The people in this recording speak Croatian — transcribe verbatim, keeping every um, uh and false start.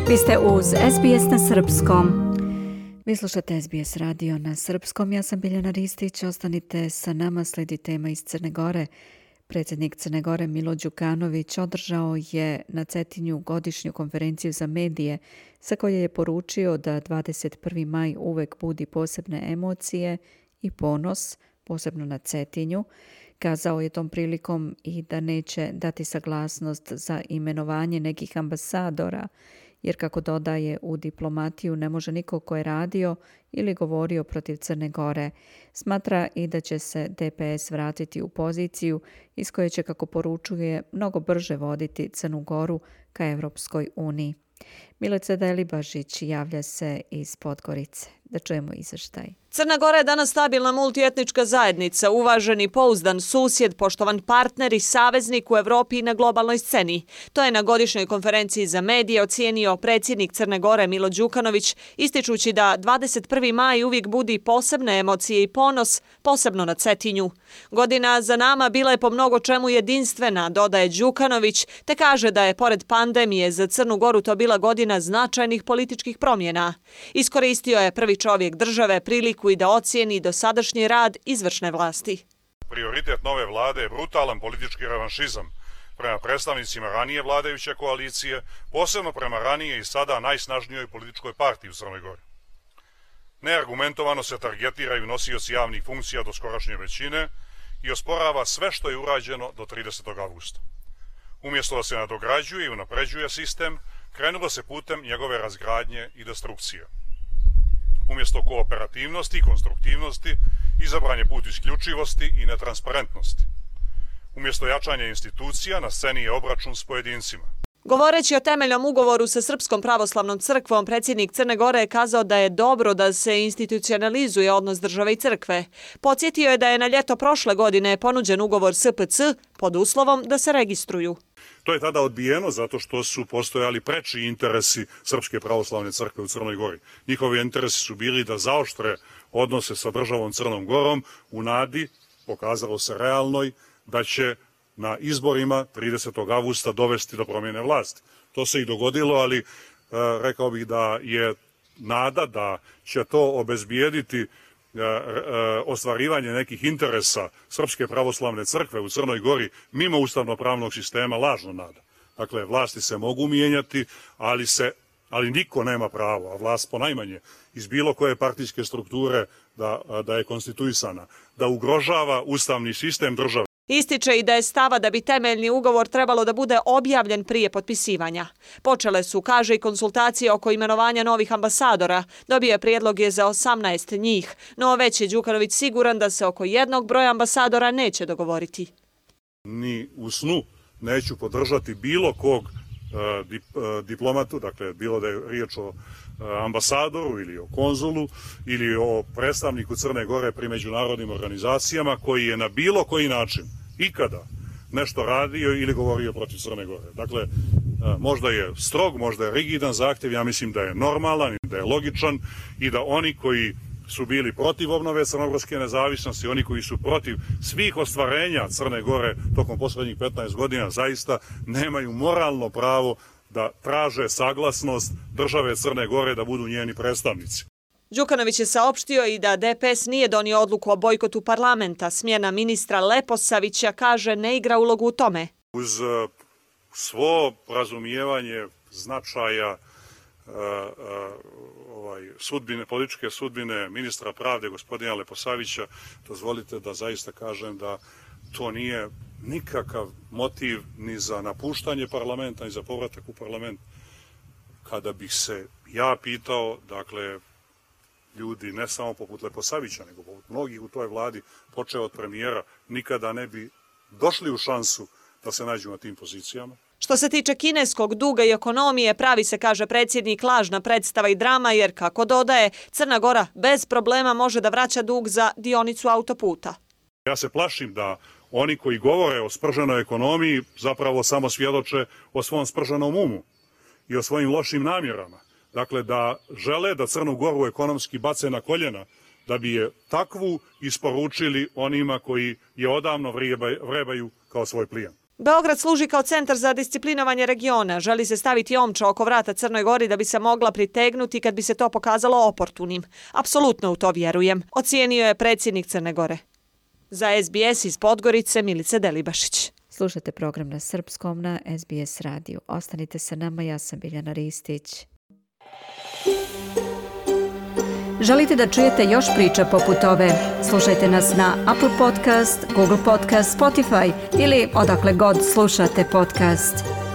Vi ste uz S B S na srpskom. Vi slušate S B S radio na srpskom. Ja sam Biljana Ristić. Ostanite sa nama, slijedi tema iz Crne Gore. Predsjednik Crne Gore Milo Đukanović održao je na Cetinju godišnju konferenciju za medije sa koje je poručio da dvadeset prvi maj uvek budi posebne emocije i ponos, posebno na Cetinju. Kazao je tom prilikom i da neće dati saglasnost za imenovanje nekih ambasadora, jer kako dodaje, u diplomatiju ne može niko ko je radio ili govorio protiv Crne Gore. Smatra i da će se D P S vratiti u poziciju iz koje će, kako poručuje, mnogo brže voditi Crnu Goru ka Evropskoj uniji. Milica Delibašić javlja se iz Podgorice. Da čujemo izveštaj. Crna Gora je danas stabilna multietnička zajednica, uvaženi, pouzdan susjed, poštovan partner i saveznik u Evropi i na globalnoj sceni. To je na godišnjoj konferenciji za medije ocijenio predsjednik Crne Gore Milo Đukanović, ističući da dvadeset prvi maj uvijek budi posebne emocije i ponos, posebno na Cetinju. Godina za nama bila je po mnogo čemu jedinstvena, dodaje Đukanović, te kaže da je pored pandemije za Crnu Goru to bila godina značajnih političkih promjena. Iskoristio je prvi čovjek države priliku i da ocijeni dosadašnji rad izvršne vlasti. Prioritet nove vlade je brutalan politički revanšizam prema predstavnicima ranije vladajuće koalicije, posebno prema ranije i sada najsnažnijoj političkoj partiji u Crnoj Gori. Neargumentovano se targetiraju nosioci javnih funkcija do skorašnje većine i osporava sve što je urađeno do tridesetog avgusta. Umjesto da se nadograđuje i unapređuje sistem, krenulo se putem njegove razgradnje i destrukcije. Umjesto kooperativnosti i konstruktivnosti, izabran je put isključivosti i netransparentnosti. Umjesto jačanja institucija, na sceni je obračun s pojedincima. Govoreći o temeljnom ugovoru sa Srpskom pravoslavnom crkvom, predsjednik Crne Gore je kazao da je dobro da se institucionalizuje odnos države i crkve. Podsjetio je da je na ljeto prošle godine ponuđen ugovor S P C pod uslovom da se registruju. To je tada odbijeno zato što su postojali preči interesi Srpske pravoslavne crkve u Crnoj Gori. Njihovi interesi su bili da zaoštre odnose sa državom Crnom Gorom u nadi, pokazalo se realnoj, da će na izborima tridesetog avgusta dovesti do promjene vlasti. To se i dogodilo, ali e, rekao bih da je nada da će to obezbijediti e, e, ostvarivanje nekih interesa Srpske pravoslavne crkve u Crnoj Gori mimo ustavno-pravnog sistema lažna nada. Dakle, vlasti se mogu mijenjati, ali, se, ali niko nema pravo, a vlast ponajmanje iz bilo koje partijske strukture da, da je konstituisana, da ugrožava ustavni sistem države. Ističe i da je stava da bi temeljni ugovor trebalo da bude objavljen prije potpisivanja. Počele su, kaže, i konsultacije oko imenovanja novih ambasadora. Dobio prijedlog je za osamnaest njih, no već je Đukanović siguran da se oko jednog broja ambasadora neće dogovoriti. Ni u snu neću podržati bilo kog uh, dip, uh, diplomatu, dakle bilo da je riječ o ambasadoru ili o konzulu ili o predstavniku Crne Gore pri međunarodnim organizacijama koji je na bilo koji način ikada nešto radio ili govorio protiv Crne Gore. Dakle, možda je strog, možda je rigidan zahtjev, ja mislim da je normalan i da je logičan i da oni koji su bili protiv obnove crnogorske nezavisnosti, oni koji su protiv svih ostvarenja Crne Gore tokom posljednjih petnaest godina zaista nemaju moralno pravo da traže saglasnost države Crne Gore da budu njeni predstavnici. Đukanović je saopštio i da D P S nije donio odluku o bojkotu parlamenta. Smjena ministra Leposavića, kaže, ne igra ulogu u tome. Uz uh, svo razumijevanje značaja uh, uh, ovaj, sudbine, političke sudbine ministra pravde gospodina Leposavića, dozvolite da zaista kažem da to nije nikakav motiv ni za napuštanje parlamenta, ni za povratak u parlament. Kada bih se ja pitao, dakle, ljudi ne samo poput Leposavića, nego poput mnogih u toj vladi, počeo od premijera, nikada ne bi došli u šansu da se nađu na tim pozicijama. Što se tiče kineskog duga i ekonomije, pravi se, kaže predsjednik, lažna predstava i drama, jer, kako dodaje, Crna Gora bez problema može da vraća dug za dionicu autoputa. Ja se plašim da oni koji govore o sprženoj ekonomiji zapravo samo svjedoče o svom sprženom umu i o svojim lošim namjerama. Dakle, da žele da Crnu Goru ekonomski bace na koljena, da bi je takvu isporučili onima koji je odavno vrebaju kao svoj plijen. Beograd služi kao centar za disciplinovanje regiona. Želi se staviti omča oko vrata Crnoj Gori da bi se mogla pritegnuti kad bi se to pokazalo oportunim. Apsolutno u to vjerujem, ocijenio je predsjednik Crne Gore. Za S B S iz Podgorice, Milica Delibašić. Slušajte program na srpskom na S B S radiju. Ostanite sa nama, ja sam Biljana Ristić. Želite da čujete još priča poput ove? Slušajte nas na Apple Podcast, Google Podcast, Spotify ili odakle god slušate podcast.